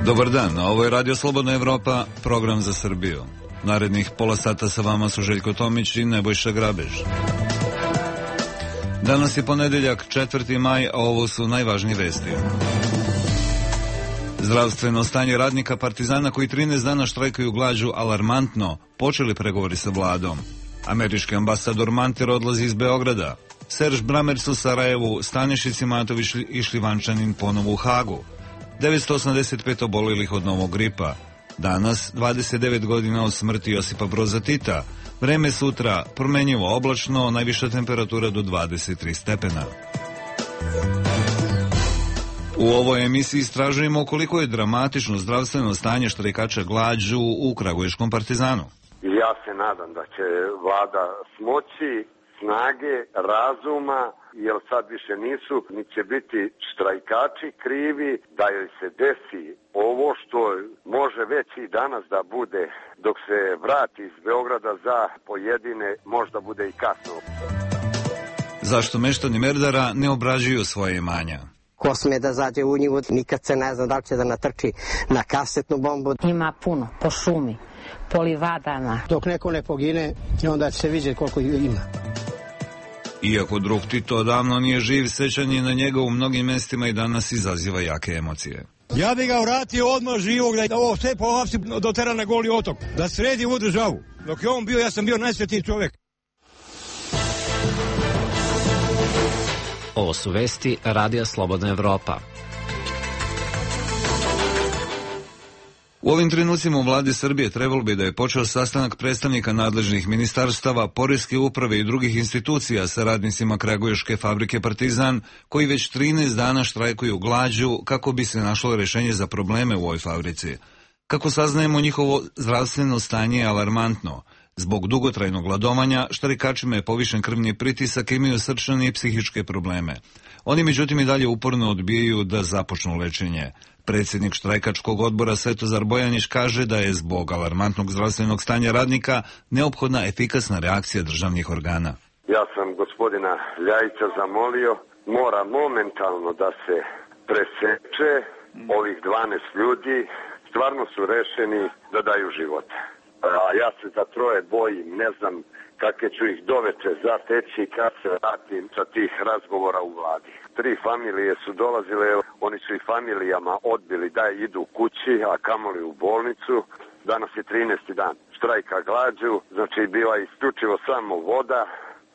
Dobar dan, ovo je Radio Slobodna Evropa, program za Srbiju. Narednih pola sata sa vama su Željko Tomić i Nebojša Grabež. Danas je ponedeljak, 4. maj, a ovo su najvažnije vesti. Zdravstveno stanje radnika Partizana koji 13 dana štrajkaju glađu alarmantno, počeli pregovori sa vladom. Američki ambasador Manter odlazi iz Beograda. Serž Bramerc u Sarajevu, Stanišić Imatović i Šljivančanin ponovo u Hagu. 985 obolelih od novog gripa. Danas 29 godina od smrti Josipa Broza Tita. Vreme sutra promenjivo oblačno, najviša temperatura do 23 stepena. U ovoj emisiji istražujemo koliko je dramatično zdravstveno stanje štrajkača glađu u Kragujevskom Partizanu. Ja se nadam da će vlada smoći snage, razuma, jer sad više nisu, ni će biti štrajkači krivi, da joj se desi ovo što može već i danas da bude, dok se vrati iz Beograda za pojedine, možda bude i kasno. Zašto meštani Merdara ne obrađuju svoje imanja? Ko sme da zađe u njivu, nikad se ne zna da li će da natrči na kasetnu bombu. Ima puno, po šumi, po livadama. Dok neko ne pogine, onda će se vidjeti koliko ima. Iako drug Tito odavno nije živ, sećanje na njega u mnogim mestima i danas izaziva jake emocije. Ja bih ga vratio odmah živog, da ovo sve po hapsi dotera na Goli otok, da sredi ovu državu. Dok je on bio, ja sam bio najsvetiji čovjek. Ovo su vesti Radija Slobodna Evropa. U ovim trenucima u vladi Srbije trebalo bi da je počeo sastanak predstavnika nadležnih ministarstava, poreske uprave i drugih institucija sa radnicima Kragujevške fabrike Partizan, koji već 13 dana štrajkuju glađu kako bi se našlo rešenje za probleme u ovoj fabrici. Kako saznajemo, njihovo zdravstveno stanje je alarmantno. Zbog dugotrajnog gladovanja, štrajkačima je povišen krvni pritisak i imaju srčane i psihičke probleme. Oni međutim i dalje uporno odbijaju da započnu lečenje. Predsjednik štrajkačkog odbora Svetozar Bojanić kaže da je zbog alarmantnog zdravstvenog stanja radnika neophodna efikasna reakcija državnih organa. Ja sam gospodina Ljajića zamolio, mora momentalno da se preseče ovih 12 ljudi, stvarno su rešeni da daju život. A ja se za troje bojim, ne znam kakve ću ih doveče zateći kad se vratim sa tih razgovora u vladi. 3 familije su dolazile, oni su i familijama odbili da idu kući, a kamoli u bolnicu. Danas je 13. dan štrajka glađu, znači bila je isključivo samo voda,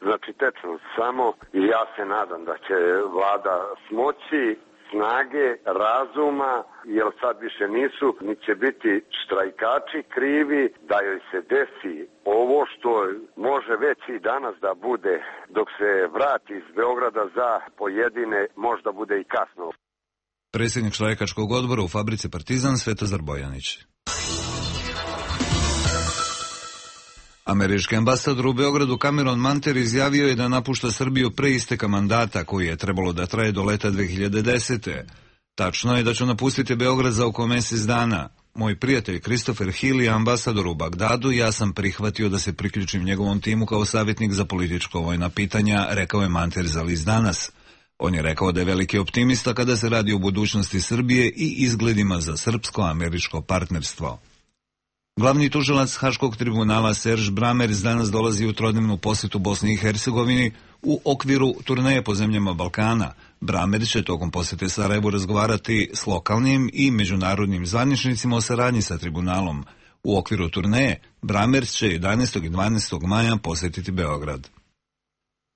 znači tečno samo, i ja se nadam da će vlada smoći snage, razuma, jer sad više nisu, ni će biti štrajkači krivi, da joj se desi ovo što može već i danas da bude, dok se vrati iz Beograda za pojedine, možda bude i kasno. Predsjednik štrajkačkog odbora u fabrici Partizan Svetozar Bojanić. Američki ambasador u Beogradu Cameron Manter izjavio je da napušta Srbiju pre isteka mandata koji je trebalo da traje do leta 2010. Tačno je da ću napustiti Beograd za oko mjesec dana. Moj prijatelj Christopher Hill je ambasador u Bagdadu i ja sam prihvatio da se priključim njegovom timu kao savjetnik za političko-vojna pitanja, rekao je Manter za list Danas. On je rekao da je veliki optimista kada se radi o budućnosti Srbije i izgledima za srpsko-američko partnerstvo. Glavni tužilac Haškog tribunala Serž Bramerc danas dolazi u trodnevnu posjetu Bosni i Hercegovini u okviru turneje po zemljama Balkana. Bramerc će tokom posjete Sarajevu razgovarati s lokalnim i međunarodnim zvaničnicima o saradnji sa tribunalom. U okviru turneje Bramerc će 11. i 12. maja posjetiti Beograd.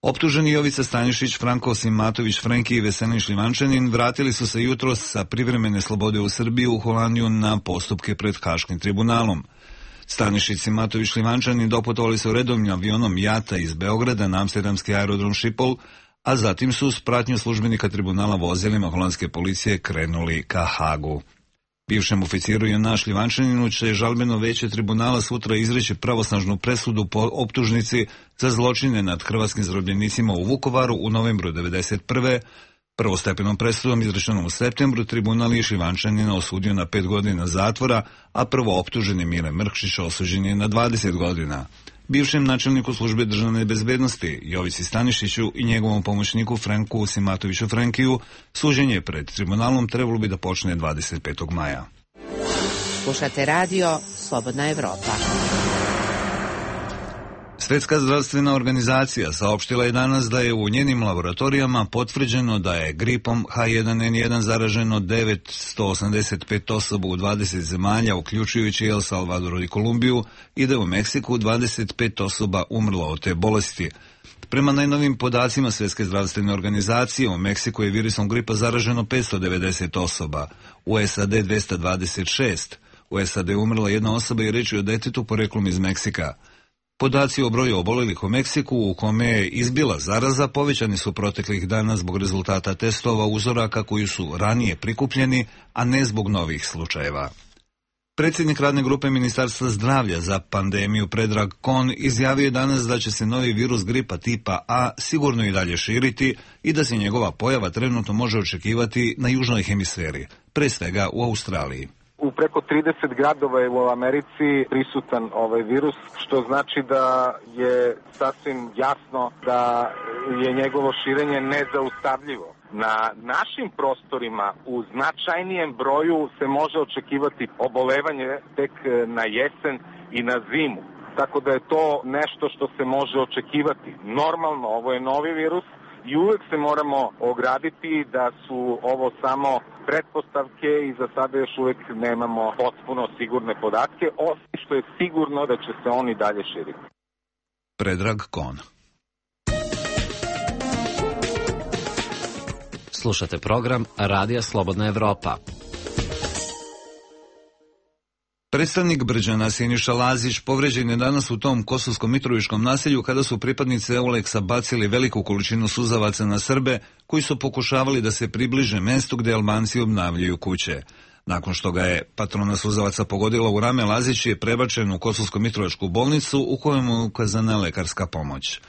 Optuženi Jovica Stanišić, Franko Simatović, Frenki i Veselin Šljivančanin vratili su se jutros sa privremene slobode u Srbiju u Holandiju na postupke pred Haškim tribunalom. Stanišić, Simatović, Šljivančanin doputovali su redovnim avionom Jata iz Beograda na amsterdamski aerodrom Schiphol, a zatim su s pratnjom službenika tribunala vozilima holandske policije krenuli ka Hagu. Bivšem oficiru Jona Šljivančaninu će žalbeno veće tribunala sutra izreći pravosnažnu presudu po optužnici za zločine nad hrvatskim zarobljenicima u Vukovaru u novembru 1991. Prvostepenom presudom izrečenom u septembru tribunal je Šljivančanina osudio na 5 godina zatvora, a prvo optuženi Mile Mrkšić osuđen je na 20 godina. Bivšem načelniku službe državne bezbednosti Jovici Stanišiću i njegovom pomoćniku Franku Simatoviću Frenkiju suđenje pred tribunalom trebalo bi da počne 25. maja. Slušate radio Slobodna Evropa. Svetska zdravstvena organizacija saopštila je danas da je u njenim laboratorijama potvrđeno da je gripom H1N1 zaraženo 985 osoba u 20 zemalja, uključujući El Salvador i Kolumbiju, i da je u Meksiku 25 osoba umrlo od te bolesti. Prema najnovim podacima Svetske zdravstvene organizacije, u Meksiku je virusom gripa zaraženo 590 osoba, u SAD 226, u SAD umrla jedna osoba i reč je o detetu poreklom iz Meksika. Podaci o broju obolelih u Meksiku, u kome je izbila zaraza, povećani su proteklih dana zbog rezultata testova uzoraka koji su ranije prikupljeni, a ne zbog novih slučajeva. Predsjednik radne grupe Ministarstva zdravlja za pandemiju Predrag Kon izjavio je danas da će se novi virus gripa tipa A sigurno i dalje širiti i da se njegova pojava trenutno može očekivati na južnoj hemisferi, pre svega u Australiji. U preko 30 gradova je u Americi prisutan ovaj virus, što znači da je sasvim jasno da je njegovo širenje nezaustavljivo. Na našim prostorima u značajnijem broju se može očekivati obolevanje tek na jesen i na zimu. Tako da je to nešto što se može očekivati. Normalno, ovo je novi virus i uvek se moramo ograditi da su ovo samo pretpostavke i za sada još uvek nemamo potpuno sigurne podatke, osim što je sigurno da će se oni dalje širiti. Predrag Kon. Slušate program Radija Slobodna Evropa. Predstavnik Brđana Siniša Lazić povređen je danas u tom kosovsko-mitrovičkom naselju kada su pripadnici Euleksa bacili veliku količinu suzavaca na Srbe koji su pokušavali da se približe mestu gde Albanci obnavljaju kuće. Nakon što ga je patrona suzavaca pogodila u rame, Lazić je prebačen u kosovsko-mitrovičku bolnicu u kojoj mu je ukazana lekarska pomoć.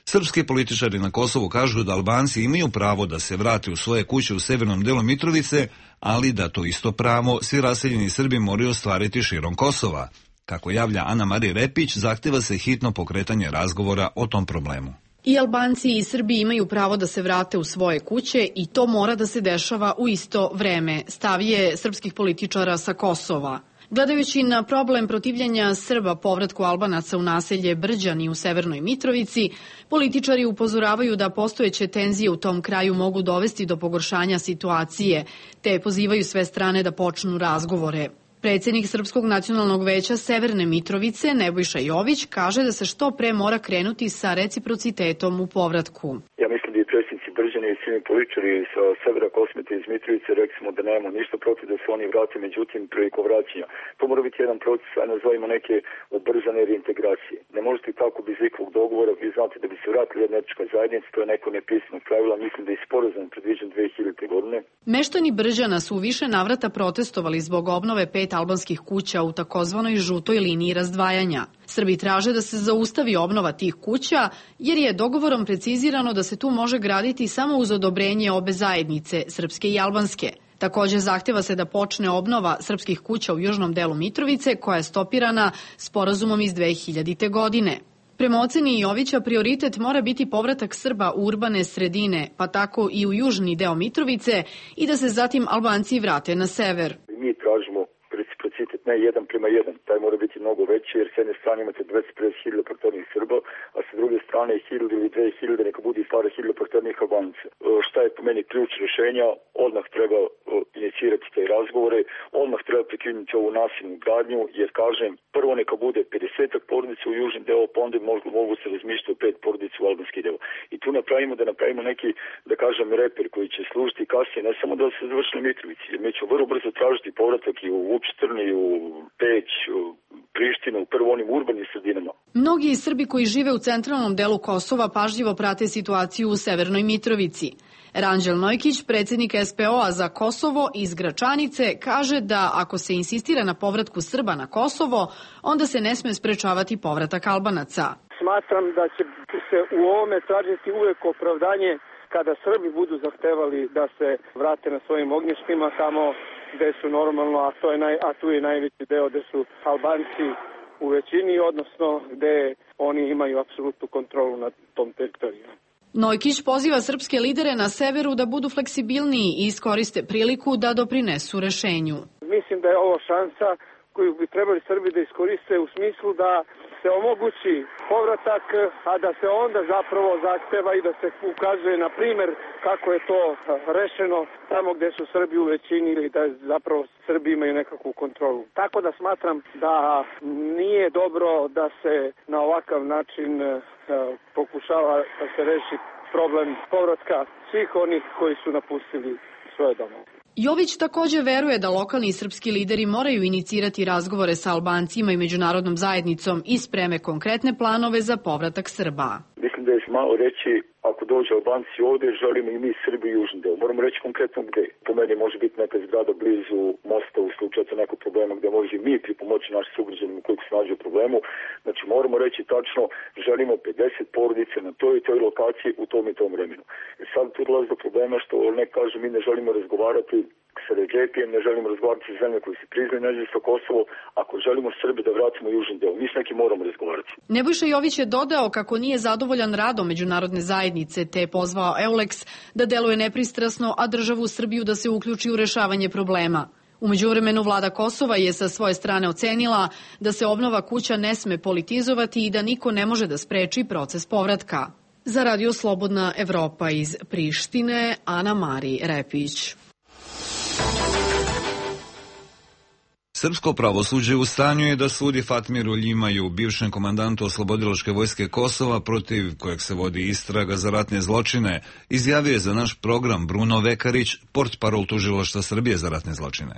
Srpski političari na Kosovu kažu da Albanci imaju pravo da se vrate u svoje kuće u severnom delu Mitrovice, ali da to isto pravo svi raseljeni Srbi moraju ostvariti širom Kosova. Kako javlja Ana Marija Repić, zahteva se hitno pokretanje razgovora o tom problemu. I Albanci i Srbi imaju pravo da se vrate u svoje kuće i to mora da se dešava u isto vreme, stav je srpskih političara sa Kosova. Gledajući na problem protivljenja Srba povratku Albanaca u naselje Brđani u Severnoj Mitrovici, političari upozoravaju da postojeće tenzije u tom kraju mogu dovesti do pogoršanja situacije, te pozivaju sve strane da počnu razgovore. Predsjednik Srpskog nacionalnog veća Severne Mitrovice, Nebojša Jović, kaže da se što pre mora krenuti sa reciprocitetom u povratku. Ja mislim da i predsjednici Brđani i svi političari sa severa Kosmeta iz Mitrovice rekli smo da nemamo ništa protiv da se oni vrate, međutim prilikom vraćanja. To mora biti jedan proces, a nazovimo neke ubrzane reintegracije. Ne možete tako bez ikakvog dogovora, vi znate da bi se vratili jedna etnička zajednica, to je neko nepisano pravila, mislim da je sporazum predviđen 2000. godine. Meštani Brđana su u više navrata protestovali zbog obnove 5 albanskih kuća u takozvanoj žutoj liniji razdvajanja. Srbi traže da se zaustavi obnova tih kuća, jer je dogovorom precizirano da se tu može graditi samo uz odobrenje obe zajednice, srpske i albanske. Također zahteva se da počne obnova srpskih kuća u južnom delu Mitrovice, koja je stopirana sporazumom iz 2000. godine. Prema oceni Jovića, prioritet mora biti povratak Srba u urbane sredine, pa tako i u južni deo Mitrovice, i da se zatim Albanci vrate na sever. Mi tražimo reciprocitet ne 1:1, taj mora biti mnogo veći, jer s jedne strane imate 250.000 proteranih Srba, a sa druge strane 1000 ili 2000 neka bude i stara 1000 proteranih Albanca. Šta je po meni ključ rješenja? Odmah treba inicirati te razgovore, odmah treba prekinuti ovu nasilnu gradnju, jer kažem, prvo neka bude 50 porodica u južni deo, pa onda mogu se razmišljati o 5 porodica u albanski deo. I tu napravimo neki, da kažem, reper koji će služiti kasnije, ne samo da se završi na Mitrovici, jer mi ćemo vrlo brzo tražiti povratak i u Vučtrn, i u Peć, u Prištinu, prvo onim urbanim sredinama. Mnogi Srbi koji žive u centralnom delu Kosova pažljivo prate situaciju u Severnoj Mitrovici. Ranđel Nojkić, predsjednik SPO-a za Kosovo iz Gračanice, kaže da ako se insistira na povratku Srba na Kosovo, onda se ne sme sprečavati povratak Albanaca. Smatram da će se u ovome tražiti uvek opravdanje kada Srbi budu zahtevali da se vrate na svojim ognjištima tamo gde su normalno, a tu je najveći deo gde su Albanci u većini, odnosno gde oni imaju apsolutnu kontrolu nad tom teritorijom. Nojkić poziva srpske lidere na severu da budu fleksibilniji i iskoriste priliku da doprinesu rešenju. Mislim da je ovo šansa koju bi trebali Srbi da iskoriste u smislu da se omogući povratak, a da se onda zapravo zahteva i da se ukazuje na primer kako je to rešeno tamo gde su Srbi u većini ili da zapravo Srbi imaju nekakvu kontrolu. Tako da smatram da nije dobro da se na ovakav način pokušava da se reši problem povratka svih onih koji su napustili svoje domove. Jović takođe veruje da lokalni srpski lideri moraju inicirati razgovore sa Albancima i međunarodnom zajednicom i spreme konkretne planove za povratak Srba. Mislim da je malo reći, ako dođe Albanci ovde, želimo i mi Srbi južni deo. Moramo reći konkretno gde. Po meni može biti neka zgrada blizu mosta u slučaju nekog problema gde može mi pripomoći našim sugrađanima koji se nađe u problemu. Znači moramo reći tačno, želimo 50 porodice na toj i toj lokaciji u tom i tom vremenu. I sad tu dolazi do problema što ne kaže mi ne želimo razgovarati sa Redžepijem, ne želimo razgovarati sa zemlje koji se priznaju nezavisno Kosovo, ako želimo Srbi da vratimo južni deo. Mi s nekim moramo razgovarati. Nebojša Jović je dodao kako nije zadovoljan radom međunarodne zajednice, te je pozvao EULEX da deluje nepristrasno, a državu Srbiju da se uključi u rešavanje problema. U međuvremenu vlada Kosova je sa svoje strane ocenila da se obnova kuća ne sme politizovati i da niko ne može da spreči proces povratka. Za Radio Slobodna Evropa iz Prištine, Ana Mari Repić. Srpsko pravosuđe u stanju je da sudi Fatmiru Ljimaju, bivšem komandantu Oslobodilačke vojske Kosova, protiv kojeg se vodi istraga za ratne zločine, izjavio je za naš program Bruno Vekarić, portparol Tužilaštva Srbije za ratne zločine.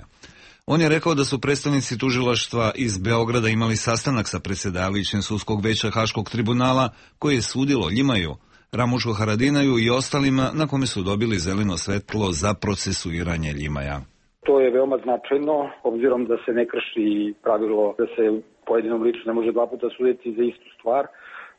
On je rekao da su predstavnici tužilaštva iz Beograda imali sastanak sa predsjedavajućem sudskog veća Haškog tribunala koje je sudilo Ljimaju, Ramušu Haradinaju i ostalima, na kome su dobili zeleno svetlo za procesuiranje Ljimaja. To je veoma značajno, obzirom da se ne krši pravilo da se pojedinom liču ne može dva puta suditi za istu stvar.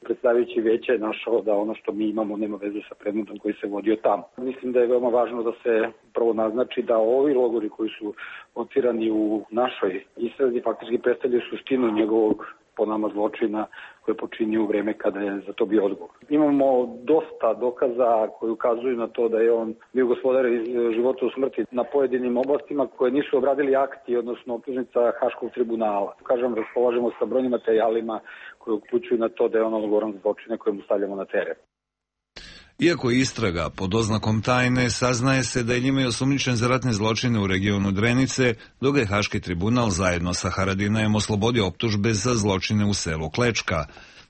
Predstavljajući veće je našao da ono što mi imamo nema veze sa predmetom koji se vodio tamo. Mislim da je veoma važno da se prvo naznači da ovi logori koji su locirani u našoj istrazi faktički predstavljaju suštinu njegovog po nama zločina koje počinio u vreme kada je za to bio odgovor. Imamo dosta dokaza koji ukazuju na to da je on bio gospodar iz života u smrti na pojedinim oblastima koje nisu obradili akti, odnosno optužnica Haškog tribunala. Kažem, raspolažemo sa brojnim materijalima koji uključuju na to da je on odgovoran za zločine koje mu stavljamo na teren. Iako je istraga pod oznakom tajne, saznaje se da je Ljimaj osumnjičen za ratne zločine u regionu Drenice, dok je Haški tribunal zajedno sa Haradinajem oslobodio optužbe za zločine u selu Klečka.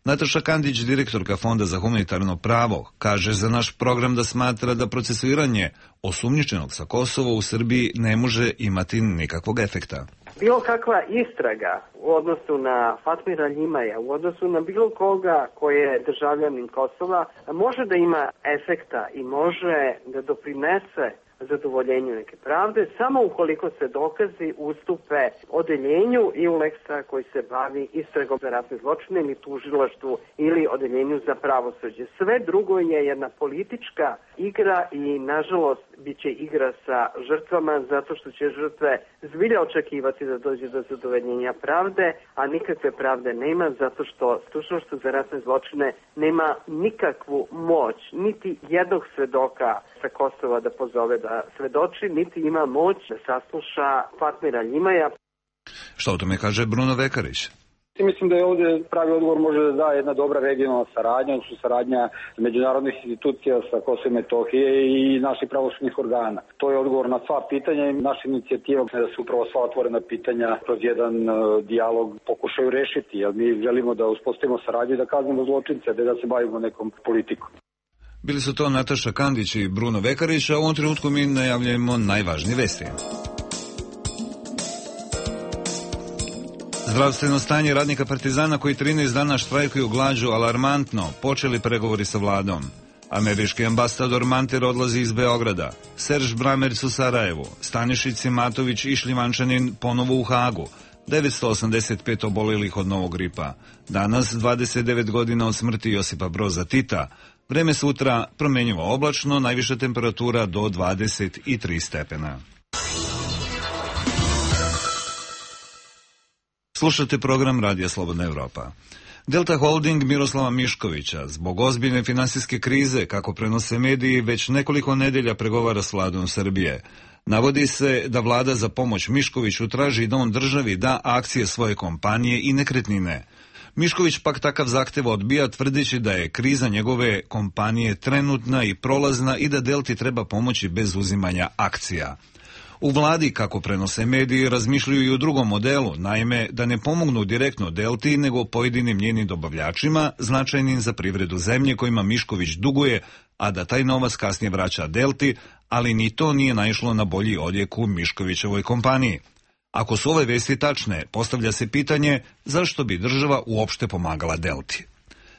Nataša Kandić, direktorka Fonda za humanitarno pravo, kaže za naš program da smatra da procesuiranje osumnjičenog sa Kosova u Srbiji ne može imati nikakvog efekta. Bilo kakva istraga u odnosu na Fatmira Ljimaja, u odnosu na bilo koga koji je državljanin Kosova, može da ima efekta i može da doprinese zadovoljenju neke pravde, samo ukoliko se dokazi ustupe odeljenju EULEX-a koji se bavi istragom za ratne zločine ili tužilaštvu ili odeljenju za pravosuđe. Sve drugo je jedna politička igra i, nažalost, bit će igra sa žrtvama zato što će žrtve zbilja očekivati da dođe do zadovoljenja pravde, a nikakve pravde nema zato što tužilaštvo za ratne zločine nema nikakvu moć, niti jednog svedoka sa Kosova da pozove da svedoči, niti ima moć da sasluša Fatmira Ljimaja. Što o tome kaže Bruno Vekarić? Mislim da je ovdje pravi odgovor može da da jedna dobra regionalna saradnja, odnosno saradnja međunarodnih institucija sa Kosova i Metohije i naših pravosudnih organa. To je odgovor na sva pitanja i naša inicijativa da se upravo sva otvorena pitanja kroz jedan dijalog pokušaju rešiti, jer mi želimo da uspostavimo saradnju i da kaznimo zločince, da se bavimo nekom politikom. Bili su to Nataša Kandić i Bruno Vekarić, a u ovom trenutku mi najavljujemo najvažnije vesti. Zdravstveno stanje radnika Partizana koji 13 dana štrajkuju glađu alarmantno, počeli pregovori sa vladom. Američki ambasador Manter odlazi iz Beograda, Serž Bramerc u Sarajevu, Stanišić Simatović i Šljivančanin ponovo u Hagu, 985 obolelih od novog gripa. Danas 29 godina od smrti Josipa Broza Tita. Vreme sutra promenjivo oblačno, najviša temperatura do 23 stepena. Slušate program Radija Slobodna Evropa. Delta Holding Miroslava Miškovića zbog ozbiljne finansijske krize, kako prenose mediji, već nekoliko nedelja pregovara s vladom Srbije. Navodi se da vlada za pomoć Miškoviću traži da on državi da akcije svoje kompanije i nekretnine. Mišković pak takav zahtev odbija, tvrdeći da je kriza njegove kompanije trenutna i prolazna i da Delti treba pomoći bez uzimanja akcija. U vladi, kako prenose mediji, razmišljaju i o drugom modelu, naime da ne pomognu direktno Delti, nego pojedinim njenim dobavljačima, značajnim za privredu zemlje kojima Mišković duguje, a da taj novac kasnije vraća Delti, ali ni to nije naišlo na bolji odjek u Miškovićevoj kompaniji. Ako su ove vesti tačne, postavlja se pitanje zašto bi država uopšte pomagala Delti.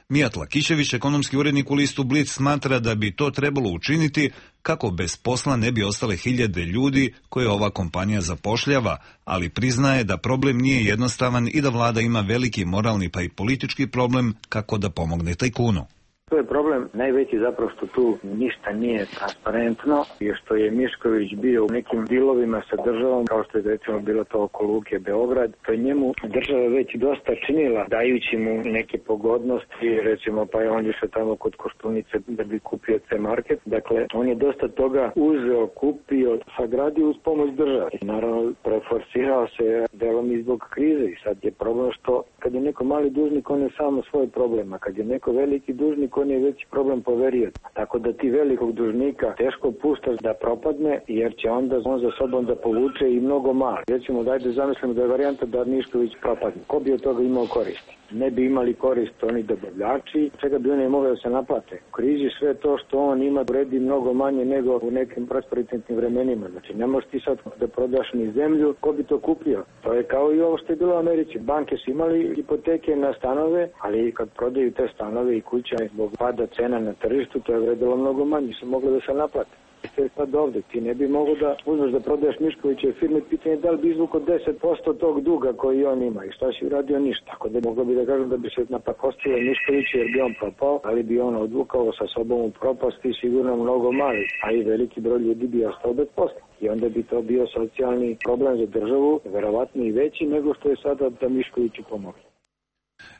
Mijat Lakićević, ekonomski urednik u listu Blic, smatra da bi to trebalo učiniti kako bez posla ne bi ostale hiljade ljudi koje ova kompanija zapošljava, ali priznaje da problem nije jednostavan i da vlada ima veliki moralni pa i politički problem kako da pomogne tajkunu. To je problem najveći zapravo što tu ništa nije transparentno i što je Mišković bio u nekim dilovima sa državom, kao što je recimo bilo to oko Luke Beograd, to je njemu država već dosta činila, dajući mu neke pogodnosti, recimo pa je on išao tamo kod Koštunice da bi kupio C-market. Dakle, on je dosta toga uzeo, kupio, sagradio uz pomoć države. I naravno, preforsirao se delom i zbog krize i sad je problem što kad je neko mali dužnik, on je samo svoj problem, a kad je neko veliki dužnik, on je veći problem poverio. Tako da ti velikog dužnika teško puštaš da propadne, jer će onda on za sobom da povuče i mnogo mali. Recimo, dajde zamislimo da je varijanta da Mišković propadne. Ko bi od toga imao koristi? Ne bi imali korist oni dobavljači, čega bi oni mogli da se naplate. U krizi sve to što on ima vredi mnogo manje nego u nekim prosperitetnim vremenima. Znači, ne možeš ti sad da prodaš ni zemlju, ko bi to kupio? To je kao i ovo što je bilo u Americi. Banke su imali hipoteke na stanove, ali kad prodaju te stanove i kuća zbog pada cena na tržištu, to je vredilo mnogo manje, su mogli da se naplate. Ste sad ovde, ti ne bi mogo da uzmeš da prodaješ Miškovićeve firme, pitanje da li bi izvukao 10% tog duga koji on ima i šta si uradio, ništa. Tako da moglo bi da kažem da bi se napakostio Mišković jer bi on propao, ali bi on odvukao sa sobom u propasti sigurno mnogo mali, a i veliki broj ljudi bi ostao bez posla. I onda bi to bio socijalni problem za državu, verovatno i veći nego što je sada da Miškoviću pomogne.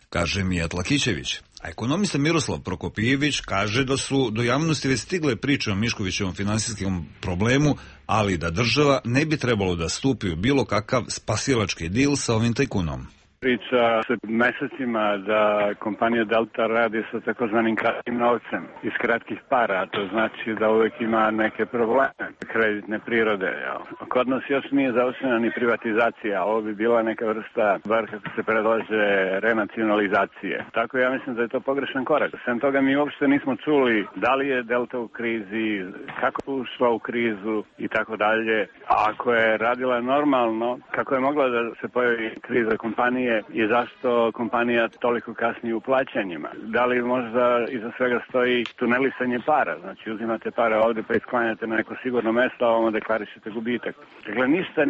Kaže Mijat Lakićević. A ekonomista Miroslav Prokopijević kaže da su do javnosti već stigle priče o Miškovićevom finansijskom problemu, ali da država ne bi trebalo da stupi u bilo kakav spasilački dil sa ovim tajkunom. Priča se mesecima da kompanija Delta radi sa takozvanim kratkim novcem iz kratkih para, to znači da uvek ima neke probleme kreditne prirode. Kod nas još nije završena ni privatizacija, ovo bi bila neka vrsta, bar kako se predlaže, renacionalizacije. Tako ja mislim da je to pogrešan korak. Sem toga mi uopšte nismo čuli da li je Delta u krizi, kako je ušla u krizu i tako dalje. A ako je radila normalno, kako je mogla da se pojavi kriza kompanije, i zašto kompanija toliko kasni u plaćanjima. Da li možda iza svega stoji tunelisanje para, znači uzimate pare ovde pa isklanjate na neko sigurno mesto, a ovamo deklarišete gubitak. Dakle, ništa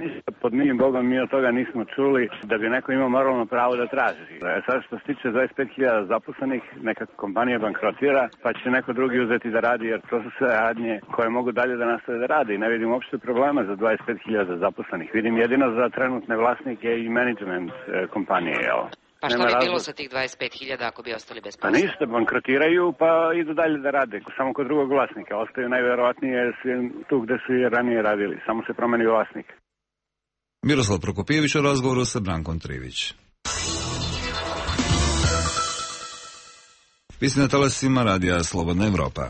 pod milim Bogom mi od toga nismo čuli da bi neko imao moralno pravo da traži. Sad što se tiče 25.000 zaposlenih, neka kompanija bankrotira, pa će neko drugi uzeti da radi, jer to su sve radnje koje mogu dalje da nastave da radi. Ne vidim uopšte problema za 25.000 zaposlenih. Vidim jedino za trenutne vlasnike i management kompanije. Pa šta bi bilo sa tih 25.000 ako bi ostali bez posla? Pa ništa, bankrotiraju pa idu dalje da rade, samo kod drugog vlasnika. Ostaju najverovatnije tu gde su i ranije radili, samo se promeni vlasnik. Miroslav Prokopijević u razgovoru sa Brankom Trivić. Vi ste na talasima radija Slobodna Evropa.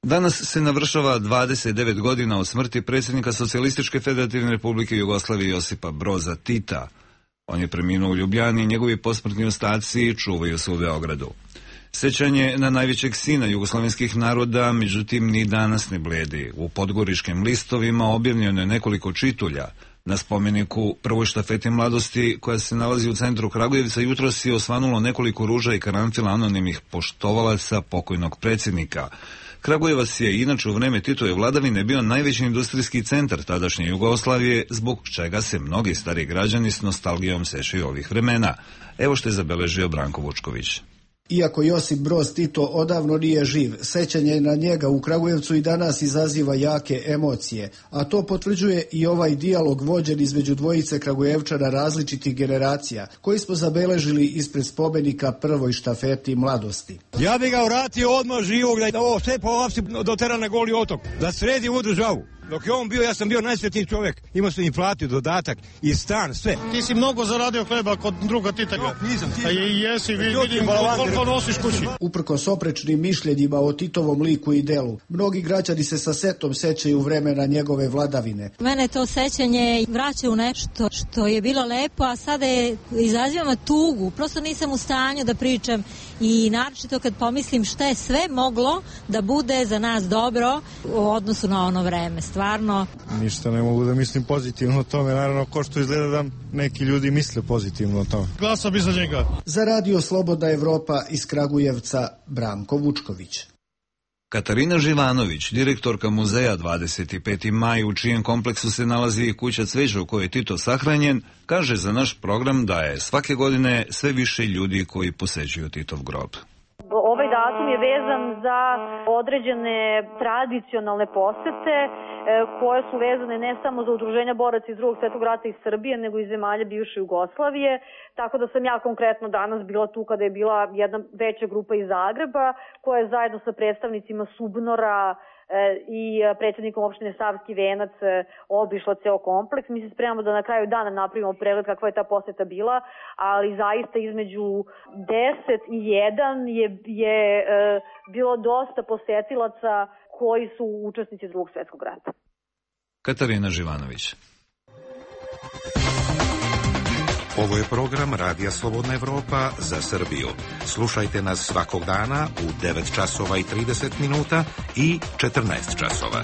Danas se navršava 29 godina od smrti predsjednika Socijalističke federativne republike Jugoslavije Josipa Broza Tita. On je preminuo u Ljubljani i njegovi posmrtni ostaci čuvaju se u Beogradu. Sećanje na najvećeg sina jugoslavenskih naroda, međutim, ni danas ne bledi. U podgoričkim listovima objavljeno je nekoliko čitulja. Na spomeniku prvoj štafeti mladosti, koja se nalazi u centru Kragujevca, jutros je osvanulo nekoliko ruža i karanfila anonimnih poštovalaca pokojnog predsjednika. Kragujevac je inače u vreme Titove vladavine bio najveći industrijski centar tadašnje Jugoslavije, zbog čega se mnogi stari građani s nostalgijom sećaju ovih vremena. Evo što je zabeležio Branko Vučković. Iako Josip Broz Tito odavno nije živ, sećanje na njega u Kragujevcu i danas izaziva jake emocije, a to potvrđuje i ovaj dijalog vođen između dvojice Kragujevčana različitih generacija, koji smo zabeležili ispred spomenika prvoj štafeti mladosti. Ja bih ga vratio odmah živog, da ovo sve po Lapsi dotera na Goli otok, da sredi ovu državu. Dok je on bio, ja sam bio najsretniji čovjek. Imao sam inflaciju, dodatak i stan, sve. Ti si mnogo zaradio hleba kod druga Titega. Nisam. Jesi, vidim koliko nosiš kući. Uprkos oprečnim mišljenjima o Titovom liku i delu, mnogi građani se sa setom sećaju vremena njegove vladavine. Mene to sećanje vraća u nešto što je bilo lepo, a sada izaziva tugu. Prosto nisam u stanju da pričam i naročito kad pomislim šta je sve moglo da bude za nas dobro u odnosu na ono vreme. Stvarno. Ništa ne mogu da mislim pozitivno o tome, naravno ko što izgleda da neki ljudi misle pozitivno o tome. Glasa bi za njega. Za Radio Slobodna Evropa iz Kragujevca, Branko Vučković. Katarina Živanović, direktorka muzeja 25. maj, u čijem kompleksu se nalazi i kuća cveća u kojoj je Tito sahranjen, kaže za naš program da je svake godine sve više ljudi koji posećuju Titov grob. Ovaj datum je vezan za određene tradicionalne posete koje su vezane ne samo za udruženja boraca iz Drugog svetog rata iz Srbije, nego i zemalja bivše Jugoslavije. Tako da sam ja konkretno danas bila tu kada je bila jedna veća grupa iz Zagreba koja je zajedno sa predstavnicima Subnora i predsjednikom opštine Savski Venac obišla ceo kompleks. Mi se spremamo da na kraju dana napravimo pregled kakva je ta poseta bila, ali zaista između 10 i 1 je bilo dosta posetilaca koji su učesnici Drugog svjetskog rata. Katarina Živanović. Ovo je program Radija Slobodna Evropa za Srbiju. Slušajte nas svakog dana u 9 časova i 30 minuta i 14 časova.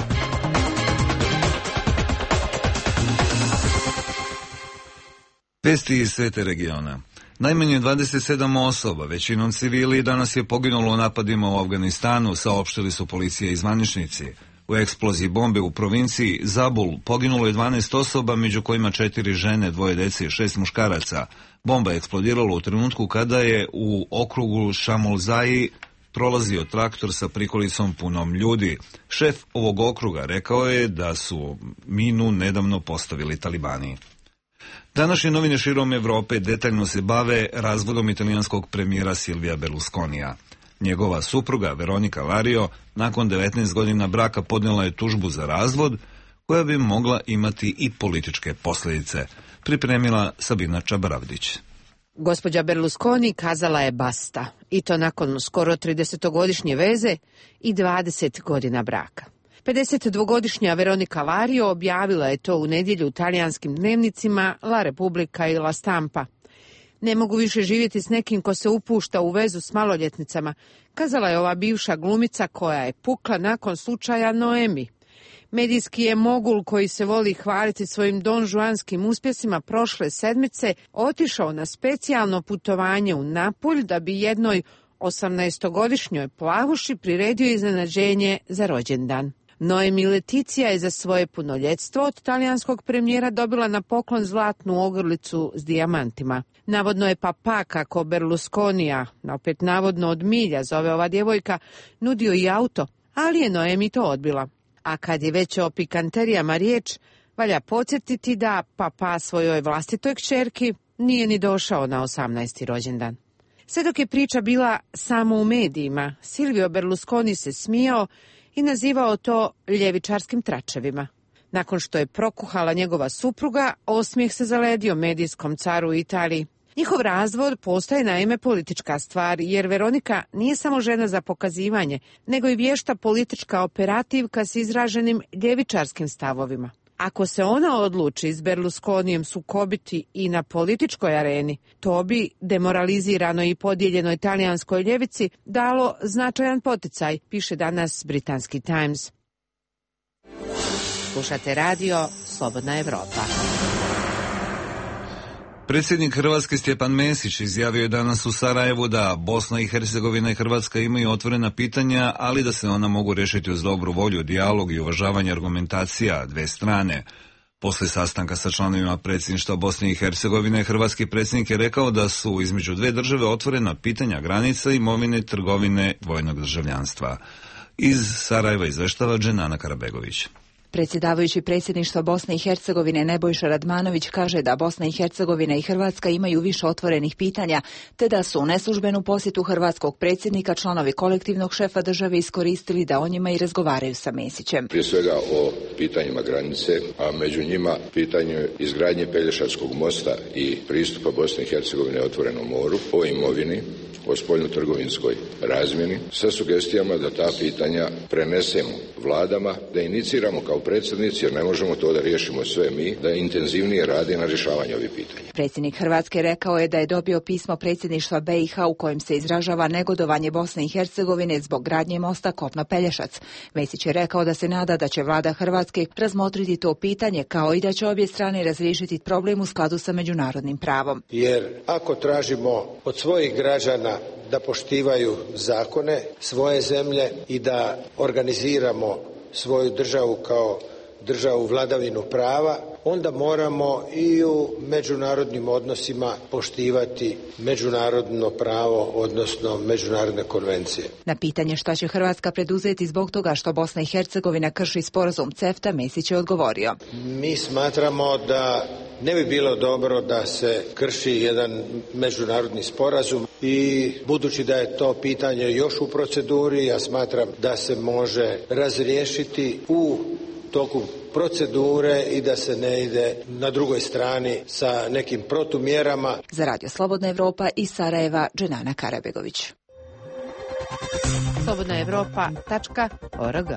Vesti iz svete regiona. Najmanje 27 osoba, većinom civili, danas je poginulo u napadima u Afganistanu, saopštili su policija i zvaničnici. U eksploziji bombe u provinciji Zabul poginulo je 12 osoba, među kojima 4 žene, 2 dece i 6 muškaraca. Bomba je eksplodirala u trenutku kada je u okrugu Šamolzaji prolazio traktor sa prikolicom punom ljudi. Šef ovog okruga rekao je da su minu nedavno postavili talibani. Današnje novine širom Evrope detaljno se bave razvodom italijanskog premijera Silvija Berlusconija. Njegova supruga Veronika Lario nakon 19 godina braka podnijela je tužbu za razvod koja bi mogla imati i političke posljedice, pripremila Sabina Čabaravdić. Gospođa Berlusconi kazala je basta, i to nakon skoro 30-godišnje veze i 20 godina braka. 52-godišnja Veronika Lario objavila je to u nedjelju u talijanskim dnevnicima La Repubblica i La Stampa. Ne mogu više živjeti s nekim ko se upušta u vezu s maloljetnicama, kazala je ova bivša glumica koja je pukla nakon slučaja Noemi. Medijski je mogul koji se voli hvaliti svojim donžuanskim uspjesima prošle sedmice otišao na specijalno putovanje u Napulj da bi jednoj 18-godišnjoj plavuši priredio iznenađenje za rođendan. Noemi Leticija je za svoje punoljetstvo od talijanskog premijera dobila na poklon zlatnu ogrlicu s dijamantima. Navodno je papa, kako Berlusconija, opet navodno od milja zove ova djevojka, nudio i auto, ali je Noemi to odbila. A kad je već o pikanterijama riječ, valja podsjetiti da papa svojoj vlastitoj kćerki nije ni došao na 18. rođendan. Sve dok je priča bila samo u medijima, Silvio Berlusconi se smijao i nazivao to ljevičarskim tračevima. Nakon što je prokuhala njegova supruga, osmijeh se zaledio medijskom caru u Italiji. Njihov razvod postaje naime politička stvar, jer Veronika nije samo žena za pokazivanje, nego i vješta politička operativka s izraženim ljevičarskim stavovima. Ako se ona odluči s Berlusconijem sukobiti i na političkoj areni, to bi demoraliziranoj i podijeljenoj talijanskoj ljevici dalo značajan poticaj, piše danas britanski Times. Slušate radio Slobodna Evropa. Predsjednik Hrvatske Stjepan Mesić izjavio je danas u Sarajevu da Bosna i Hercegovina i Hrvatska imaju otvorena pitanja, ali da se ona mogu riješiti uz dobru volju, dijalog i uvažavanje argumentacija dve strane. Posle sastanka sa članovima predsjedništva Bosne i Hercegovine, hrvatski predsjednik je rekao da su između dve države otvorena pitanja granica, imovine, trgovine, dvojnog državljanstva. Iz Sarajeva izveštava Dženana Karabegović. Predsjedavajući predsjedništva Bosne i Hercegovine Nebojša Radmanović kaže da Bosna i Hercegovina i Hrvatska imaju više otvorenih pitanja, te da su u neslužbenu posjetu hrvatskog predsjednika članovi kolektivnog šefa države iskoristili da o njima i razgovaraju sa Mesićem. Prije svega o pitanjima granice, a među njima pitanje izgradnje Pelješačkog mosta i pristupa Bosne i Hercegovine otvorenom moru, o imovini, o spoljno-trgovinskoj razmjeni, sa sugestijama da ta pitanja prenesemo vladama, da iniciramo kao predsjednici, jer ne možemo to da riješimo sve mi, da intenzivnije radi na rješavanju ovih pitanja. Predsjednik Hrvatske rekao je da je dobio pismo predsjedništva BiH u kojem se izražava negodovanje Bosne i Hercegovine zbog gradnje mosta Kopno-Pelješac. Mesić je rekao da se nada da će vlada Hrvatske razmotriti to pitanje, kao i da će obje strane razriješiti problem u skladu sa međunarodnim pravom. Jer ako tražimo od svojih građana da poštivaju zakone svoje zemlje i da organiziramo svoju državu kao državu vladavinu prava, onda moramo i u međunarodnim odnosima poštivati međunarodno pravo, odnosno međunarodne konvencije. Na pitanje šta će Hrvatska preduzeti zbog toga što Bosna i Hercegovina krši sporazum CEFTA, Mesić je odgovorio. Mi smatramo da ne bi bilo dobro da se krši jedan međunarodni sporazum i budući da je to pitanje još u proceduri, ja smatram da se može razriješiti u toku procedure i da se ne ide na drugoj strani sa nekim protumjerama. Za Radio Slobodna Evropa iz Sarajeva, Dženana Karabegović. slobodnaevropa.org.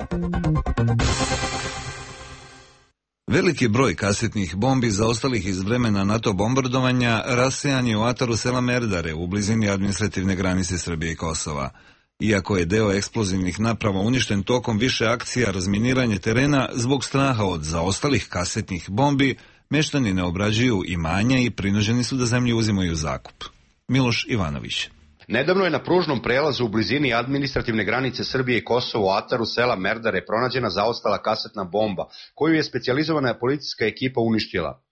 Veliki broj kasetnih bombi zaostalih iz vremena NATO bombardovanja rasejan je u ataru sela Merdare u blizini administrativne granice Srbije i Kosova. Iako je deo eksplozivnih naprava uništen tokom više akcija razminiranja terena, zbog straha od zaostalih kasetnih bombi, meštani ne obrađuju imanja i prinuđeni su da zemlju uzimaju u zakup. Miloš Ivanović. Nedavno je na pružnom prelazu u blizini administrativne granice Srbije i Kosova u ataru sela Merdare pronađena zaostala kasetna bomba, koju je specijalizovana policijska ekipa uništila.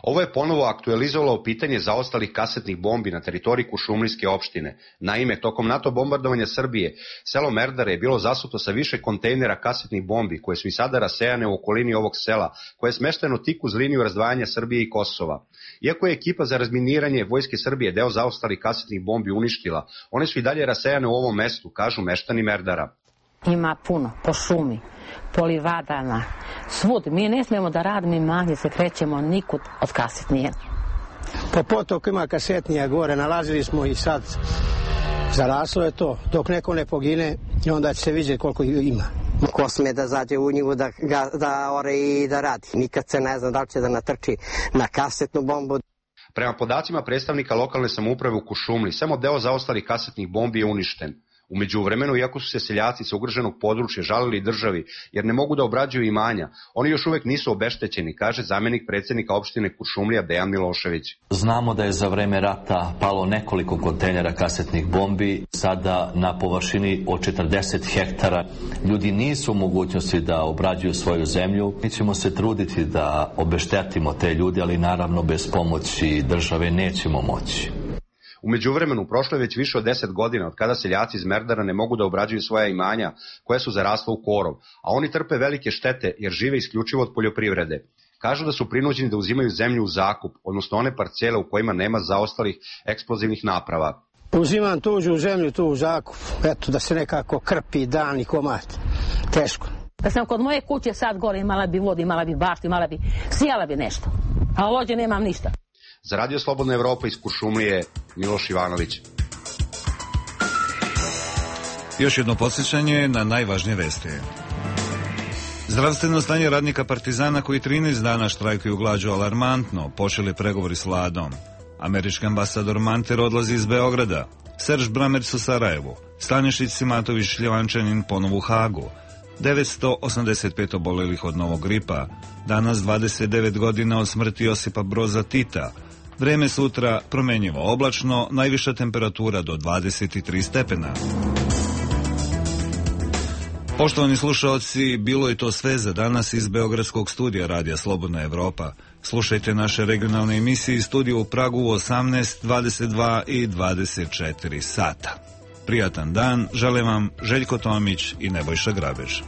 Ovo je ponovo aktualizovalo pitanje zaostalih kasetnih bombi na teritoriji Kuršumlijske opštine. Naime, tokom NATO bombardovanja Srbije, selo Merdare je bilo zasuto sa više kontejnera kasetnih bombi, koje su i sada rasejane u okolini ovog sela, koje je smešteno tik uz liniju razdvajanja Srbije i Kosova. Iako je ekipa za razminiranje Vojske Srbije deo zaostalih kasetnih bombi uništila, one su i dalje rasejane u ovom mestu, kažu meštani Merdara. Ima puno, po šumi, po livadama, svud. Mi ne smijemo da radimo imanje, se krećemo nikud od kasetnije. Po potoku ima kasetnija gore, nalazili smo i sad zaraslo je to. Dok neko ne pogine, onda će se vidjeti koliko ima. Ko sme da zađe u njivu da ore i da radi. Nikad se ne zna da li će da natrči na kasetnu bombu. Prema podacima predstavnika lokalne samouprave u Kuršumliji, samo deo zaostalih kasetnih bombi je uništen. U međuvremenu, iako su se seljaci sa ugroženog područja žalili državi jer ne mogu da obrađuju imanja, oni još uvek nisu obeštećeni, kaže zamenik predsjednika opštine Kuršumlija Dejan Milošević. Znamo da je za vreme rata palo nekoliko kontejnera kasetnih bombi, sada na površini od 40 hektara. Ljudi nisu u mogućnosti da obrađuju svoju zemlju. Mi ćemo se truditi da obeštetimo te ljude, ali naravno bez pomoći države nećemo moći. U međuvremenu prošlo je već više od 10 godina od kada seljaci iz Merdara ne mogu da obrađuju svoja imanja koja su zarasla u korov, a oni trpe velike štete jer žive isključivo od poljoprivrede. Kažu da su prinuđeni da uzimaju zemlju u zakup, odnosno one parcele u kojima nema zaostalih eksplozivnih naprava. Uzimam tuđu zemlju tu u zakup, eto da se nekako krpi dan i komad. Teško. Da sam kod moje kuće sad gore imala bi vodu, imala bi baštu, sijala bi nešto, a ovdje nemam ništa. Za Radio Slobodna Evropa iz Kuršumlije, Miloš Ivanović. Još jedno podsjećanje na najvažnije vesti. Zdravstveno stanje radnika Partizana koji 13 dana štrajkuju glađu alarmantno, počeli pregovori s vladom. Američki ambasador Manter odlazi iz Beograda, Serž Bramerc u Sarajevu, Stanišić Simatović Šljivančanin ponovo u Hagu, 985 obolelih od novog gripa, danas 29 godina od smrti Josipa Broza Tita. Vreme sutra promenjivo oblačno, najviša temperatura do 23 stepena. Poštovani slušaoci, bilo je to sve za danas iz Beogradskog studija Radija Slobodna Evropa. Slušajte naše regionalne emisije iz studija u Pragu u 18, 22 i 24 sata. Prijatan dan, žele vam Željko Tomić i Nebojša Grabež.